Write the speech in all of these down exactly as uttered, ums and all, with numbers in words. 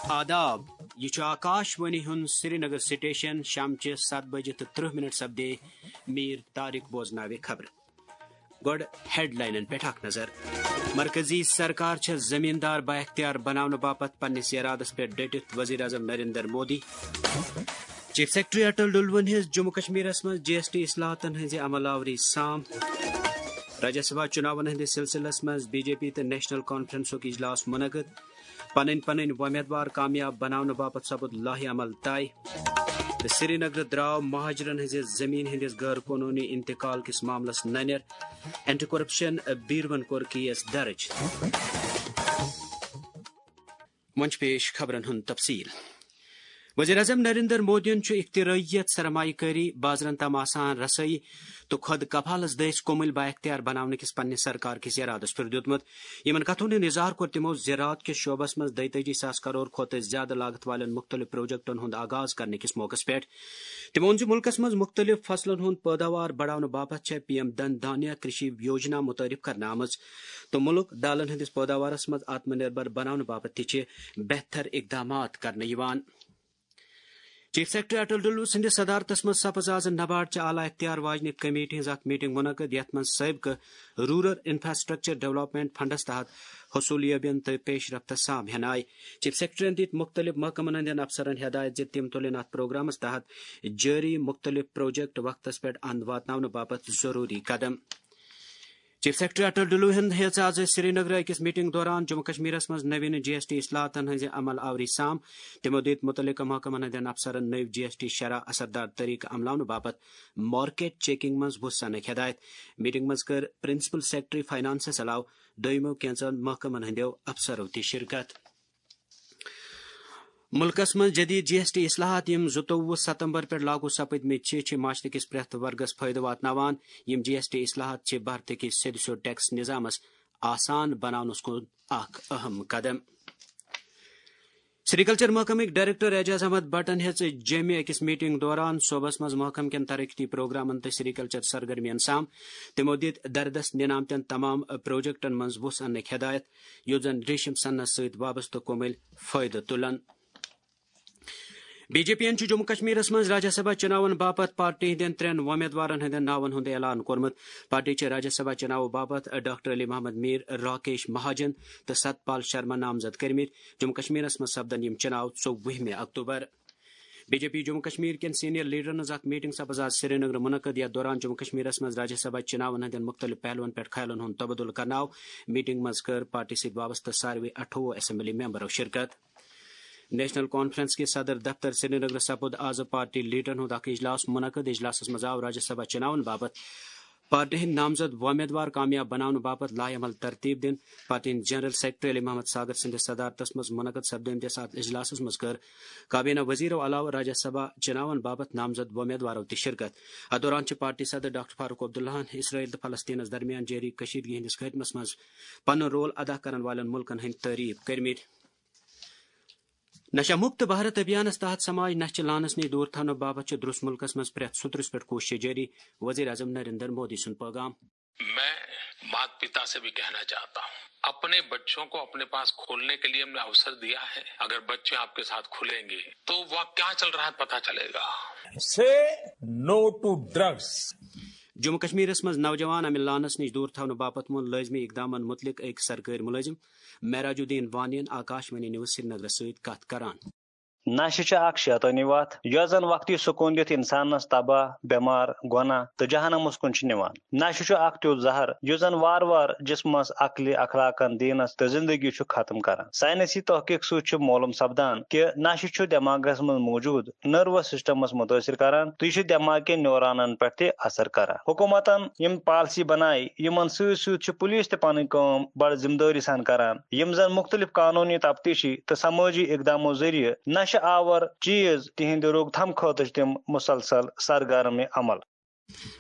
آداب، یہِ چھُ آکاش وانی ہُنٛد سرینگر سٹیشن۔ شامچہِ ستھ بجہِ تہٕ ترٕہ منٹ سپدے۔ میر طارق بوزناوِ خبرٕ۔ گۄڈٕ ہیڈ لاینن پٮ۪ٹھ اکھ نظر۔ مرکزی سرکار چھےٚ زمیٖندار بااختیار بناونہٕ باپتھ پننِس ارادس پٮ۪ٹھ ڈٔٹِتھ، وزیر اعظم نریندر مودی۔ چیف سیکرٹری اٹل ڈلوُن ہیٚژ جموں کشمیرس منٛز جی ایس ٹی اصلاحاتن ہٕنٛزِ عمل آوری سام۔ راجیہ سبھا چُناون ہٕنٛدِس سلسلس منٛز بی جے پی تہٕ نیشنل کانفرنسُک اجلاس منعقد۔ پنٕنۍ پنٕنۍ وۄمیدوار کامیاب بناونہٕ باپتھ سپُد لایحہ عمل طے۔ تہٕ سرینگرٕ درٛاو مہاجرن ہٕنٛزِ زٔمیٖن ہٕنٛدِس غٲر قونوٗنی انتقال کِس معاملس ننٮ۪ر۔ اینٹی کرپشن بیوروہن کوٚر کیس درج۔ وۄنۍ چھِ پیش خبرن ہُنٛد تفصیل۔ وزیر اعظم نریندر مودیَن چھُ اختراعیت، سرمایہ کٲری، بازرن تام آسان رسٲیی تہٕ خۄد کفالس دٔسۍ کومل بااختیار بناونہٕ کِس پننِس سرکار کِس ارادس پٮ۪ٹھ دیُتمُت۔ یِمن کتھن ہُنٛد اظہار کوٚر تِمو زراعت کِس شعبس منٛز دۄیتٲجی ساس کرور کھۄتہٕ زیادٕ لاگت والٮ۪ن مُختٔلِف پروجیکٹن ہُنٛد آغاز کرنہٕ کِس موقعس پٮ۪ٹھ۔ تِمو ووٚن زِ مُلکس منٛز مُختٔلِف فصلن ہُنٛد پٲداوار بڑاونہٕ باپتھ چھےٚ پی ایم دھن دھانیہ کرشی یوجنا متعارف کرنہٕ آمٕژ تہٕ مُلک دالن ہٕنٛدِس پٲداوارس منٛز آتم نربھر بناونہٕ باپتھ تہِ چھِ بہتر اقدامات کرنہٕ یِوان۔ چیف سیکرٹری اٹل ڈلو سٕنٛدِس صدارتس منٛز سپٕز آز نباڈ چہِ اعلیٰ اختیار واجنہِ کمیٹی ہٕنٛز اکھ میٹنگ منعقد، یتھ منٛز سٲبقہٕ رورل انفراسٹرکچر ڈیولپمنٹ فنڈس تحت حصولیابین تہٕ پیش رفتس سام ہٮ۪نہٕ آیہِ۔ چیف سیکرٹریَن دِتۍ مُختٔلِف محکمن ہٕنٛدٮ۪ن افسرن ہدایت زِ تِم تُلِن اتھ پروگرامس تحت جٲری مُختٔلِف پروجیکٹ وقتس پٮ۪ٹھ اند واتناونہٕ باپتھ ضروٗری قدم۔ چیف سیکرٹری اٹل ڈلو ہن ہیژ آز سرینگرٕ أکِس میٹنگ دوران جموں کشمیرس منٛز نوین جی ایس ٹی اصلاحاتن ہٕنٛزِ عمل آوری سام۔ تِمو دِتۍ مُتعلقہٕ محکمن ہٕنٛدٮ۪ن افسرن نٔوۍ جی ایس ٹی شرح اثردار طریقہٕ عملاونہٕ باپتھ مارکیٹ چیکنگ منٛز وُژھ اننٕکۍ ہدایت۔ میٹنگ منٛز کٔر پرنسپل سیکرٹری فائنانسس علاوٕ دوٚیمو کینژن محکمن ہٕنٛدیو افسرو تہِ شرکت۔ مُلکَس منٛز جدید جی ایس ٹی اصلاحات، یِم زٕتووُہ ستمبر پٮ۪ٹھ لاگو سپٕدمٕتۍ چھِ، چھِ معاشرٕ کِس پرٛٮ۪تھ ورگَس فٲیدٕ واتناوان۔ یِم جی ایس ٹی اصلاحات چھِ بھارتہٕ کِس سیوٚد سیوٚد ٹیکس نظامَس آسان بناونَس کُن اکھ اہم قدم۔ سریکلچر محکمٕکۍ ڈائریکٹر اعجاز احمد بٹن ہیٚژ جیٚمہِ أکِس میٹنگ دوران صوبس منٛز محکمہٕ کٮ۪ن ترقیتی پروگرامن تہٕ سریکلچر سرگرمین سام۔ تِمو دِتۍ دردس نِنہٕ آمتٮ۪ن تمام پروجیکٹن منٛز وُژھ اننٕکۍ ہدایت، یُتھ زن ریشم سنس سۭتۍ وابستہٕ کومل فٲیدٕ تُلن۔ بی جے پی یَن چھُ جموں کشمیرس منٛز راجیہ سبھا چُناون باپتھ پارٹی ہٕنٛدٮ۪ن ترٛٮ۪ن وۄمیدوارن ہٕنٛدٮ۪ن ناون ہُنٛد اعلان کوٚرمُت۔ پارٹی چھِ راجیہ سبھا چُناو باپتھ ڈاکٹر علی محمد میر، راکیش مہاجن تہٕ ستپال شرما نامزد کٔرمٕتۍ۔ جموں کشمیرس منٛز سپدن یِم چُناو ژوٚوُہمہِ October. B J P Jammu Kashmir کٮ۪ن سینئر لیڈرن ہٕنٛز اکھ میٹنگ سپٕز آز سرینگرٕ منعقد، یتھ دوران جموں کشمیرس منٛز راجیہ سبھا چُناون ہٕنٛدٮ۪ن مُختٔلِف پہلوَن پٮ۪ٹھ خیالن ہُنٛد تبادلہٕ کرنہٕ آو۔ میٹنگ منٛز کٔر پارٹی سۭتۍ وابستہٕ ساروٕے اَٹھووُہ اسمبلی ممبرو شرکت۔ نیشنل کانفرنس کِس صدر دفتر سرینگرٕ سپُد آز پارٹی لیڈرن ہُنٛد اکھ اجلاس منعقد۔ اجلاسس منٛز آو راجیہ سبھا چُناون باپتھ پارٹی ہٕنٛدۍ نامزد وۄمیدوار کامیاب بناونہٕ باپتھ لایحہ عمل ترتیب دِنہٕ۔ پارٹی ہٕنٛدۍ جنرل سیکرٹری علی محمد ساگر سٕنٛدِس صدارتس منٛز منعقد سپدٲمتِس اتھ اجلاسس منٛز کٔر کابینہ وزیرو علاوٕ راجیہ سبھا چُناون باپتھ نامزد وۄمیدوارو تہِ شرکت۔ اتھ دوران چھِ پارٹی صدر ڈاکٹر فاروق عبداللہن اسرائیل تہٕ فلسطینس درمیان جٲری کشیدگی ہٕنٛدِس خٲتمس منٛز پنُن رول ادا کرن والٮ۪ن مُلکن ہٕنٛدۍ تعریف کٔرمٕتۍ۔ نشہ مکت بھارت ابھیانس تحت سماج نشہ چہِ لعنس نِش دور تھاونہٕ باپتھ چھِ درست ملکس منٛز پرٛٮ۪تھ سُترس پٮ۪ٹھ کوٗشش جٲری، وزیر اعظم نریندر مودی سُنٛد پیغام۔ میں مات پتا سے بھی کہنا چاہتا ہوں، اپنے بچوں کو اپنے پاس کھولنے کے لیے ہم نے اوسر دیا ہے۔ اگر بچے آپ کے ساتھ کھلیں گے تو وہاں کیا چل رہا ہے پتا چلے گا۔ Say no to drugs. Jammu کشمیرس منٛز نوجوان امہِ لعنس نِش دور تھاونہٕ باپتھ ووٚن لٲزمی اقدامن مُتعلق أکۍ سرکٲرۍ مُلٲزِم معراج الدین وانی یَن آکاش وانی نیوز سرینگرس سۭتۍ کتھ کران۔ نشہٕ چھُ اکھ شیطٲنی وتھ، یۄس زن وقتی سکوٗن دِتھ انسانس تباہ، بٮ۪مار، گۄناہ تہٕ جہنمس کُن چھِ نِوان۔ نشہٕ چھُ اکھ تیُتھ زہر، یُس زن وارٕ وارٕ جسمس، عقلہِ، اخلاقن، دینس تہٕ زندگی چھُ ختم کران۔ ساینسی تحقیق سۭتۍ چھُ معلوم سپدان کہِ نشہٕ چھُ دٮ۪ماغس منٛز موجود نروس سسٹمس متٲثر کران تہٕ یہِ چھُ دٮ۪ماغ کٮ۪ن نیورانن پٮ۪ٹھ تہِ اثر کران۔ حکومتن یِم پالیسی بنایہِ، یِمن سۭتۍ سۭتۍ چھِ پولیس تہِ پنٕنۍ کٲم بڑٕ ذمہٕ دٲری سان کران، یِم زن مُختٔلِف قانوٗنی، تفتیشی تہٕ سمٲجی اقدامو ذٔریعہٕ نشہٕ آور چیز تِہنٛدِ روک تھام خٲطرٕ چھِ تِم مسلسل سرگرم عمل۔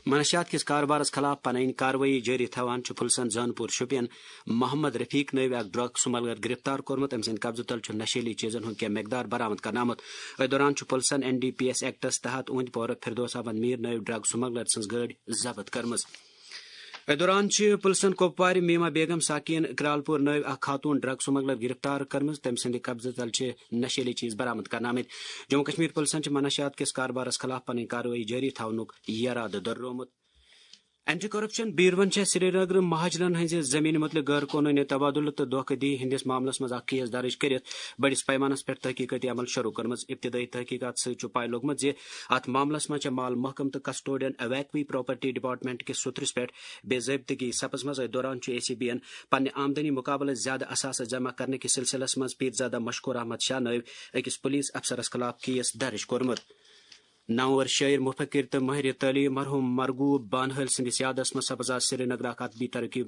منشیات کِس کاربارس خلاف پنٕنۍ کاروٲیی جٲری تھاوان چھُ پُلسن زانپور شوپین محمد رفیق نٲوۍ اکھ ڈرگ سمگلر گرفتار کوٚرمُت۔ أمۍ سٕنٛدِ قبضہٕ تل چھُ نشیلی چیزن ہُنٛد کینٛہہ مقدار برآمد کرنہٕ آمُت۔ أتھۍ دوران چھُ پُلسن این ڈی پی ایس ایکٹس تحت اوٗنٛدۍ پورٕ فردوس احمد میر نٲوۍ ڈرگ سمگلر سٕنٛز گٲڑۍ ضبط کٔرمٕژ۔ أتھۍ دوران چھِ پُلسَن کۄپوارِ میما بیگم ساکین کرالپور نٲوۍ اکھ خاتون ڈرگ سمگلر گرفتار کٔرمٕژ۔ تٔمۍ سٕنٛدِ قبضہٕ تل چھِ نشیلی چیز برآمد کرنہٕ آمٕتۍ۔ جموں کشمیر پُلسَن چھِ منشیات کِس کاربارس خلاف پنٕنۍ کاروٲیی جٲری تھاونُک یرادٕ دۄہرومُت۔ اینٹی کرپشن بیورون چھےٚ سرینگر مہاجرن ہٕنٛزِ زمینہِ مُتعلق غٲر قونوٗنی تبادلہٕ تہٕ دھوکہٕ دی ہٕنٛدِس معاملس منٛز اکھ کیس درج کٔرِتھ بٔڑِس پیمانس پٮ۪ٹھ تحقیقٲتی عمل شروع کٔرمٕژ۔ ابتدٲیی تحقیقات سۭتۍ چھُ پاے لوٚگمُت زِ اتھ معاملس منٛز چھےٚ مال محکمہٕ تہٕ کسٹوڈین ایویکوی پراپرٹی ڈپارٹمنٹ کِس سُترِس پٮ۪ٹھ بے ضٲبطگی سپٕزمٕژ۔ أتھۍ دوران چھُ اے سی بی ین پننہِ آمدنی مقابلہٕ زیادٕ اثاثہٕ جمع کرنہٕ کِس سلسلس منٛز پیٖرزادہ مشکور احمد شاہ نٲوۍ أکِس پُلیٖس افسرس خلاف کیس درج کوٚرمُت۔ نامور شٲعر، مفکر تہٕ مٲہِرِ تعلیٖم مرحوٗم مرغوب بانہل سٕنٛدِس یادس منٛز سپٕز آز سرینگر اکھ ادبی ترقی،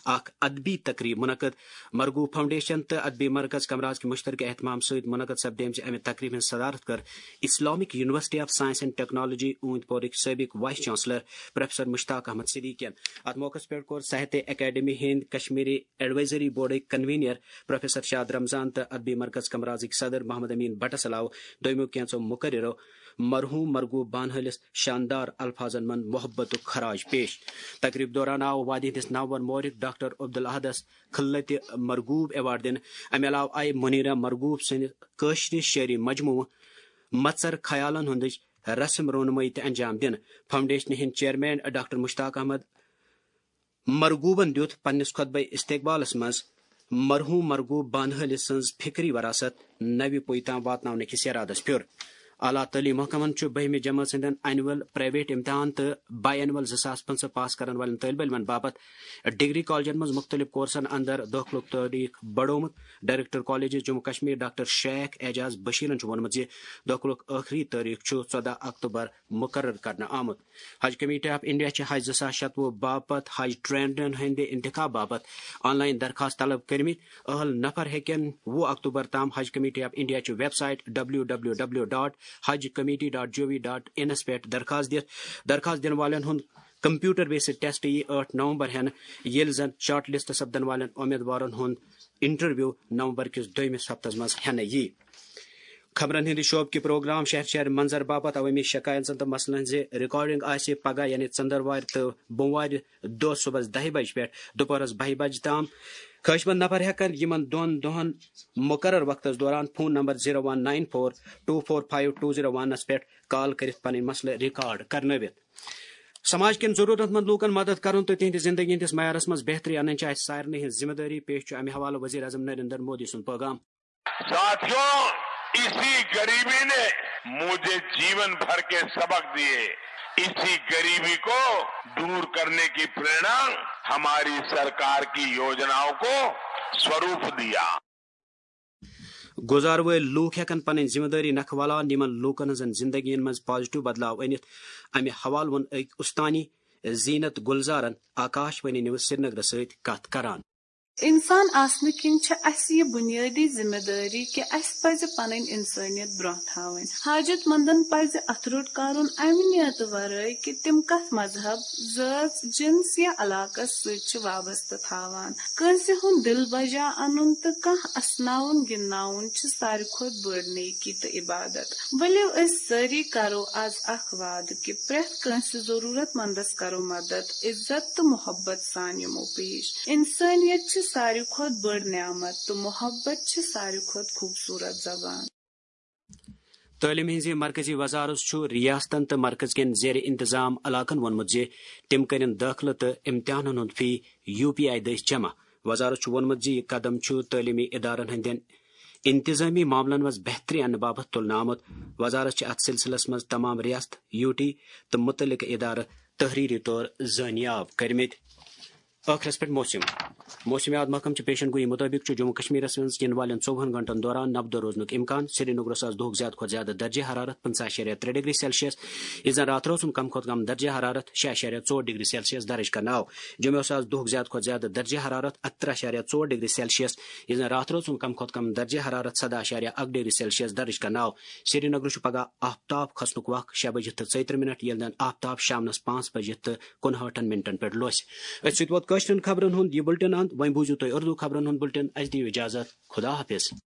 اکھ ادبی تقریب منعقد۔ مرغوب فاؤنڈیشن تہٕ ادبی مرکز کمراز کہِ مشترکہ اہتمام سۭتۍ منعقد سپدیمژِ امہِ تقریبہِ ہٕنٛز صدارت کٔر Islamic university of science and technology اوٗنتۍ پورٕکۍ سٲبق vice chancellor professor Mushtaq Ahmad صدیقین۔ اتھ موقعس پٮ۪ٹھ کوٚر ساہتیہ اکیڈمی ہٕنٛدۍ کشمیری ایڈوائزری بورڈٕکۍ کنوینر پروفیسر شاد رمضان تہٕ ادبی مرکز کمرازٕکۍ صدر محمد امین بٹس علاوٕ دویمو کینژو مقررو مرحوم مرغوب بانہلس شاندار الفاظن منٛز محبتُک خراج پیش۔ تقریب دوران آو وادی ہٕنٛدِس نامور مورخ ڈاکٹر عبدالاحدس خلتِ مرغوب ایوارڈ دِنہٕ۔ امہِ علاوٕ آیہِ منیرہ مرغوب سٕنٛدِ کٲشرِ شٲعری مجموعہٕ مژر خیالن ہٕنٛدٕچ رسم رونمٲیی تہِ انجام دِنہٕ۔ فاؤنڈیشنہِ ہٕنٛدۍ چیئرمین ڈاکٹر مشتاق احمد مرغوبن دیُت پننِس خطبہ استقبالس منٛز مرحوم مرغوب بانہلہِ سٕنٛز فکری وراثت نوِ پُیہِ تام واتناونہٕ کِس ارادس پھیُر۔ اعلیٰ تعلیٖم محکمن چھُ بٔہمہِ جمٲژ ہٕنٛدٮ۪ن اینول پرائیویٹ امتحان تہٕ بائی اینول زٕ ساس پٕنٛژٕہ پاس کرن والٮ۪ن طٲلب علمن باپتھ ڈگری کالجن منٛز مُختٔلِف کورسن اندر دٲخلُک تٲریخ بڑومُت۔ Director colleges Jammu Kashmir doctor Sheikh Ajaz بشیرن چھُ ووٚنمُت زِ دٲخلُک ٲخری تٲریخ چھُ ژۄدہ اکتوبر مقرر کرنہٕ آمُت۔ حج کمیٹی آف انڈیا چھِ حج زٕ ساس شتوُہ باپتھ حج ٹرینرن ہٕنٛدِ انتخاب باپتھ آن لائن درخواست طلب کٔرمٕتۍ۔ اہل نفر ہیٚکن وُہ اکتوبر تام حج کمیٹی آف انڈیا چہِ website W W W dot حج committee dot G O V dot انس پٮ۪ٹھ درخواست دِتھ۔ درخواست دِنہٕ والٮ۪ن ہُنٛد کمپیوٹر بیسڈ ٹیسٹ یی ٲٹھ نومبر ہٮ۪نہٕ، ییٚلہِ زن شارٹ لسٹ سپدن والٮ۪ن امیدوارن ہُنٛد انٹرویو نومبر کِس دوٚیمِس ہفتس منٛز ہٮ۪نہٕ یی۔ خبرن ہٕنٛدِ شعبہٕ کہِ پروگرام شہر شہر منظر باپتھ عوٲمی شکایژن تہٕ مسلن ہٕنٛزِ ریکارڈنگ آسہِ پگاہ یعنی ژٔنٛدٕروارِ تہٕ بوموارِ دۄہ صبحس دَہہِ بجہِ پٮ۪ٹھ دُپہرس بَہہِ بجہِ تام۔ خٲہِشمند نفر ہٮ۪کن یِمن دۄن دۄہن مقرر وقتس دوران phone number zero one nine four two four five two zero ونس پٮ۪ٹھ کال کٔرِتھ پنٕنۍ مسلہٕ ریکارڈ کرنٲوِتھ۔ سماج کٮ۪ن ضروٗرت مند لوٗکن مدد کرُن تہٕ تِہنٛدِ زندگی ہٕنٛدِس معیارس منٛز بہتری انٕنۍ چھِ اسہِ سارنٕے ہٕنٛز ذمہٕ دٲری۔ پیش چھُ امہِ حوالہٕ وزیر اعظم نریندر مودی سُنٛد پیغام۔ साथियों, इसी गरीबी ने मुझे जीवन भर के सबक दिए। इसी गरीबी को दूर करने की प्रेरणा हमारी सरकार की योजनाओं को स्वरूप दिया। گُزار وٲلۍ لوٗکھ ہٮ۪کن پنٕنۍ ذمہٕ دٲری نکھٕ ولان یِمن لوٗکن ہٕنٛزن زندگین منٛز پازیٹیو بدلاو أنِتھ۔ امہِ حوالہٕ ووٚن أکۍ اُستانی زینت گلزارن آکاش وانی نیوز سرینگرس سۭتۍ کتھ کران۔ انسان آسنہٕ کِنۍ چھِ اسہِ یہِ بنیٲدی ذمہٕ دٲری کہِ اسہِ پزِ پنٕنۍ انسٲنیت برونٛہہ تھاوٕنۍ۔ حاجت مندن پزِ اتھٕ روٚٹ کرُن امہِ نیتہٕ ورٲے کہِ تِم کتھ مذہب، ذٲژ، جنس یا علاقس سۭتۍ چھِ وابستہٕ تھاوان۔ کٲنٛسہِ ہُنٛد دل بجا انُن تہٕ کانٛہہ اسناوُن گِنٛدناوُن چھِ ساروی کھۄتہٕ بٔڑ نیکی تہٕ عبادت۔ ؤلِو أسۍ سٲری کرو از اکھ وعدٕ کہِ پرٛٮ۪تھ کٲنٛسہِ ضروٗرت مندس کرو مدد، عزت تہٕ محبت سان یِمو پیش۔ انسٲنیت چھِ ساروی کھۄتہٕ بٔڑ نعمت تہٕ محبت چھِ ساروی کھۄتہٕ خوٗبصوٗرت زبان۔ تعلیٖم ہٕنٛزِ مرکزی وزارت چھُ ریاستن تہٕ مرکز کٮ۪ن زیر انتظام علاقن ووٚنمُت زِ تِم کٔرِن دٲخلہٕ تہٕ امتحانن ہُنٛد فی یو پی آئی دٔسۍ جمع۔ وزارت چھُ ووٚنمُت زِ یہِ قدم چھُ تعلیٖمی ادارن ہٕنٛدٮ۪ن انتظٲمی معاملن منٛز بہتری اننہٕ باپتھ تُلنہٕ آمُت۔ وزارت چھِ اتھ سلسلس منٛز تمام ریاست، یو ٹی تہٕ متعلقہٕ ادارٕ تحریری طور زٲنیاب کٔرمٕتۍ۔ ٲخرس پٮ۪ٹھ موسم۔ موسمیات محکمہٕ چہِ پیشن گویی مُطٲبِق چھُ جموں کشمیرس منٛز یِنہٕ والٮ۪ن ژوٚوُہن گھنٹن دوران نبدو روزنُک امکان۔ سرینگرس آز دُہُک زیادٕ کھۄتہٕ زیادٕ درجہ حرارت پٕنٛژٕہ اَشاریہ ترٛےٚ ڈگری سیلسیس، یُس زن راتھ روزُن کم کھۄتہٕ کم درجہ حرارت شےٚ اَشاریہ ژور ڈگری سیلسیس درج کرنہٕ آو۔ جوٚمہِ اوس آز دُہُک زیادٕ کھۄتہٕ زیادٕ درجہ حرارت اَکترٕہ اَشاریہ ژور ڈگری سیلسیس، یُس زن راتھ روزُن کم کھۄتہٕ کم درجہ حرارت سداہ اَشاریہ اکھ ڈگری سیلسیس درج کرنہٕ آو۔ سرینگرس چھُ پگاہ آفتاب کھسنُک وق شےٚ بجہِ تہٕ ژۄیہِ ترٕٛہ منٹ، ییٚلہِ زن آفتاب شامنس پانٛژھ بجہِ تہٕ کُنہٲٹھن منٹن پٮ۪ٹھ لوسہِ۔ أتھۍ سۭتۍ ووت کٲشرٮ۪ن خبرن ہُنٛد یہِ بُلٹن اند۔ وۄنۍ بوٗزِو تُہۍ اردو خبرن ہُنٛد بُلٹن۔ اسہِ دِیِو اجازت۔ خدا حافظ۔